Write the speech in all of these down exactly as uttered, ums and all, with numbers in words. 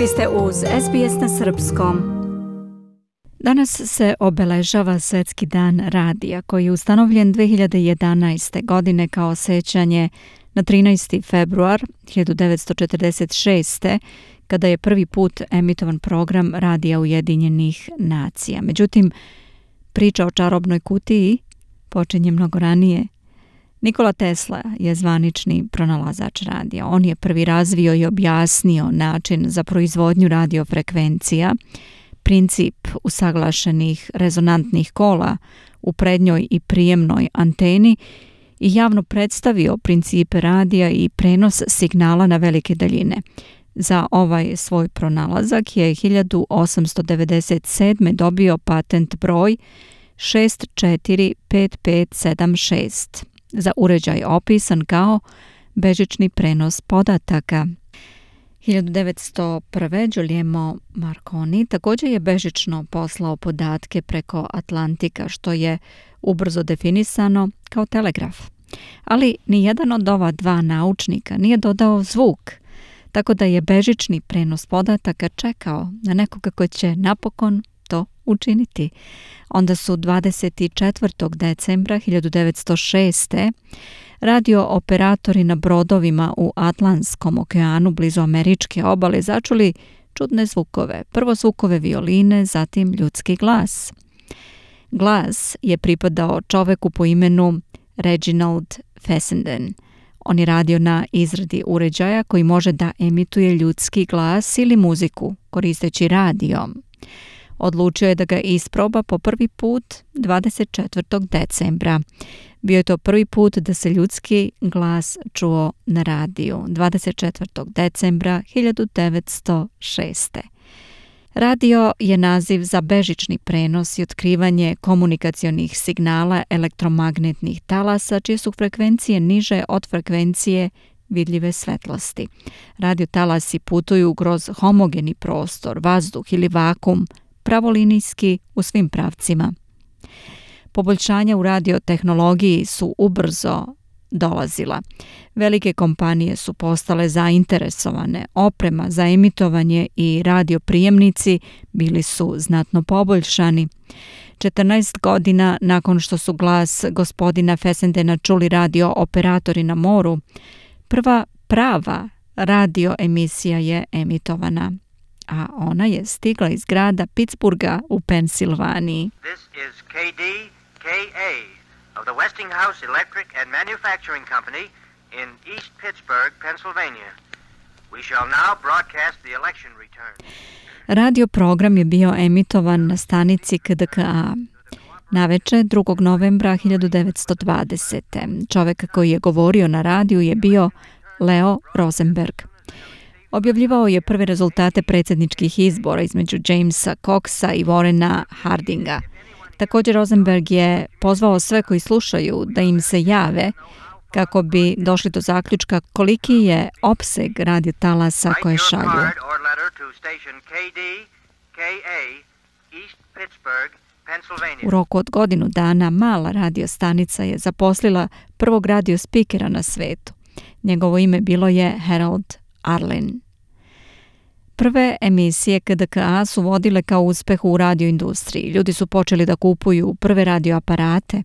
Vi ste uz S B S na srpskom. Danas se obeležava Svjetski dan radija koji je ustanovljen dve hiljade jedanaeste. godine kao sećanje na trinaesti februar hiljadu devetsto četrdeset šeste. kada je prvi put emitovan program Radija Ujedinjenih nacija. Međutim, priča o čarobnoj kutiji počinje mnogo ranije. Nikola Tesla je zvanični pronalazač radija. On je prvi razvio i objasnio način za proizvodnju radiofrekvencija, princip usaglašenih rezonantnih kola u prednjoj i prijemnoj anteni i javno predstavio principe radija i prenos signala na velike daljine. Za ovaj svoj pronalazak je hiljadu osamsto devedeset sedme. dobio patent broj šest četiri pet pet sedam šest za uređaj opisan kao bežični prenos podataka. hiljadu devetsto prve. Guglielmo Marconi također je bežično poslao podatke preko Atlantika, što je ubrzo definisano kao telegraf. Ali nijedan od ova dva naučnika nije dodao zvuk, tako da je bežični prenos podataka čekao na nekoga ko će napokon to učiniti. Onda su dvadeset četvrtog decembra hiljadu devetsto šeste. radio operatori na brodovima u Atlantskom okeanu blizu američke obale začuli čudne zvukove. Prvo zvukove violine, zatim ljudski glas. Glas je pripadao čoveku po imenu Reginald Fessenden. On je radio na izradi uređaja koji može da emituje ljudski glas ili muziku koristeći radio. Odlučio je da ga isproba po prvi put dvadeset četvrtog decembra. Bio je to prvi put da se ljudski glas čuo na radiju, dvadeset četvrtog decembra hiljadu devetsto šeste. Radio je naziv za bežični prenos i otkrivanje komunikacionih signala elektromagnetnih talasa, čije su frekvencije niže od frekvencije vidljive svetlosti. Radio talasi putuju kroz homogeni prostor, vazduh ili vakum, pravolinijski u svim pravcima. Poboljšanja u radiotehnologiji su ubrzo dolazila. Velike kompanije su postale zainteresovane, oprema za emitovanje i radioprijemnici bili su znatno poboljšani. četrnaest godina nakon što su glas gospodina Fessendena čuli radio operatori na moru, prva prava radio emisija je emitovana, a ona je stigla iz grada Pittsburgha u Pensilvaniji. This is K D K A of the Westinghouse Electric and Manufacturing Company in East Pittsburgh, Pennsylvania. We shall now broadcast the election return. Radio program je bio emitovan na stanici K D K A. Naveče drugog novembra hiljadu devetsto dvadesete. Čovjek koji je govorio na radiju je bio Leo Rosenberg. Objavljivao je prve rezultate predsjedničkih izbora između Jamesa Coxa i Warrena Hardinga. Također Rosenberg je pozvao sve koji slušaju da im se jave kako bi došli do zaključka koliki je opseg radiotalasa koje šalju. U roku od godinu dana mala radiostanica je zaposlila prvog radiospikera na svetu. Njegovo ime bilo je Harold Arlen. Prve emisije K D K A su vodile kao uspeh u radioindustriji. Ljudi su počeli da kupuju prve radioaparate.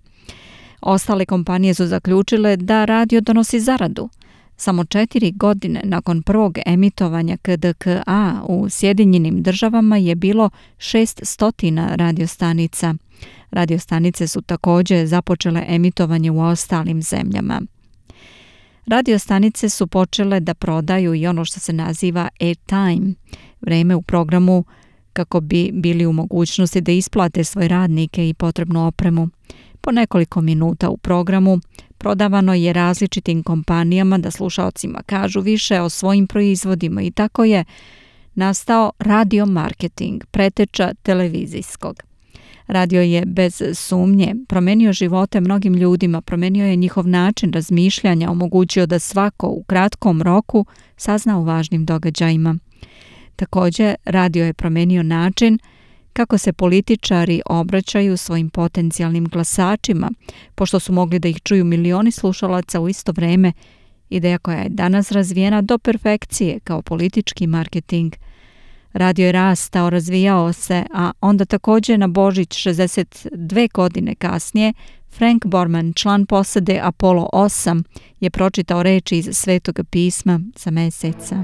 Ostale kompanije su zaključile da radio donosi zaradu. Samo četiri godine nakon prvog emitovanja K D K A u Sjedinjenim državama je bilo šeststo radiostanica. Radiostanice su također započele emitovanje u ostalim zemljama. Radiostanice su počele da prodaju i ono što se naziva airtime, vreme u programu kako bi bili u mogućnosti da isplate svoje radnike i potrebnu opremu. Po nekoliko minuta u programu prodavano je različitim kompanijama da slušaocima kažu više o svojim proizvodima i tako je nastao radio marketing, preteča televizijskog. Radio je bez sumnje promenio živote mnogim ljudima, promenio je njihov način razmišljanja, omogućio da svako u kratkom roku sazna o važnim događajima. Također, radio je promenio način kako se političari obraćaju svojim potencijalnim glasačima, pošto su mogli da ih čuju milioni slušalaca u isto vreme, ideja koja je danas razvijena do perfekcije kao politički marketing. Radio je rastao, razvijao se, a onda također na Božić šezdeset dve godine kasnije Frank Borman, član posade Apollo osam, je pročitao reči iz Svetoga pisma za meseca.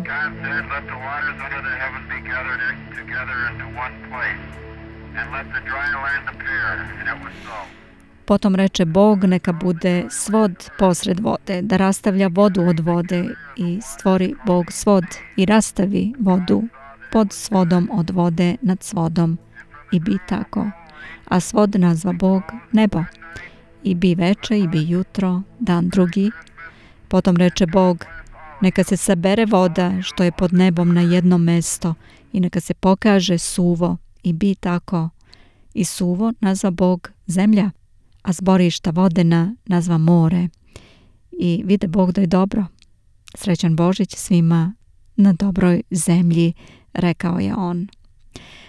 Potom reče Bog, neka bude svod posred vode, da rastavlja vodu od vode, i stvori Bog svod i rastavi vodu pod svodom od vode nad svodom, i bi tako. A svod nazva Bog nebo. I bi veče, i bi jutro, dan drugi. Potom reče Bog, neka se sabere voda što je pod nebom na jedno mesto i neka se pokaže suvo, i bi tako. I suvo nazva Bog zemlja, a zborišta vodena nazva more. I vide Bog da je dobro. Srećan Božić svima na dobroj zemlji, rekao je on.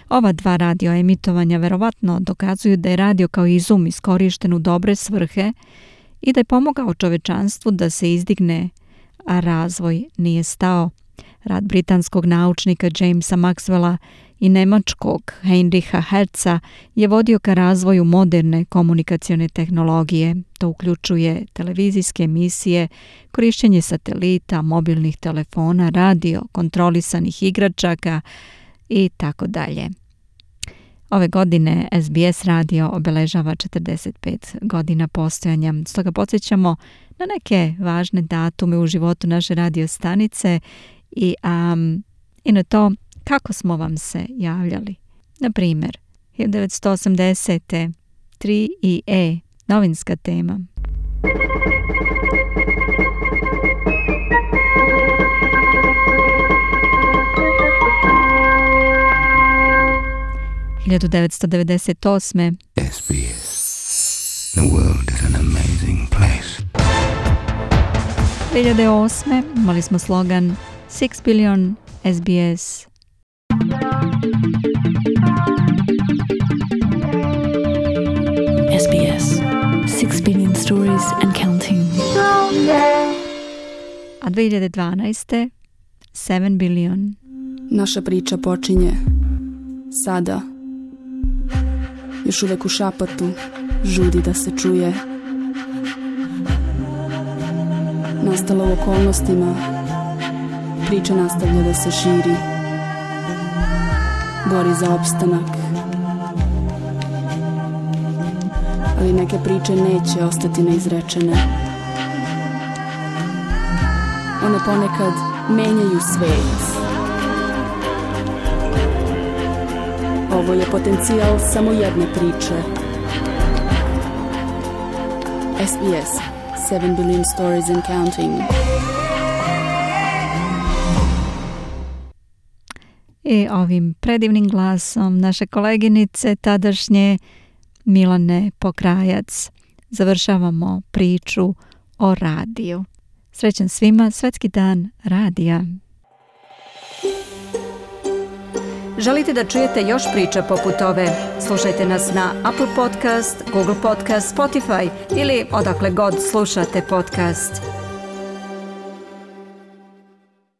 Ova dva radio emitovanja verovatno dokazuju da je radio kao izum iskorišten u dobre svrhe i da je pomogao čovečanstvu da se izdigne, a razvoj nije stao. Rad britanskog naučnika Jamesa Maxwella i nemačkog Heinricha Hertza je vodio ka razvoju moderne komunikacione tehnologije. To uključuje televizijske emisije, korišćenje satelita, mobilnih telefona, radio, kontrolisanih igračaka i tako dalje. Ove godine S B S radio obeležava četrdeset pet godina postojanja, stoga podsjećamo na neke važne datume u životu naše radio stanice i, um, i na to kako smo vam se javljali. Na primjer, hiljadu devetsto osamdesete tri I E, novinska tema. hiljadu devetsto devedeset osme S B S. The world is an amazing place. dvije hiljade osme imali smo slogan Six billion S B S. S B S. Six billion stories and counting. A dvije hiljade dvanaeste Seven billion. Naša priča počinje sada. Još uvek u šapotu žudi da se čuje. Nastala u okolnostima, priča nastavlja da se širi. Bori za opstanak. Ali neke priče neće ostati neizrečene. One ponekad menjaju svet. Ovo je potencijal samo jedne priče. S B S, Seven billion stories and counting. I ovim predivnim glasom naše koleginice tadašnje Milane Pokrajac završavamo priču o radiju. Srećan svima, Svetski dan radija. Želite da čujete još priča poput ove? Slušajte nas na Apple Podcast, Google Podcast, Spotify ili odakle god slušate podcast.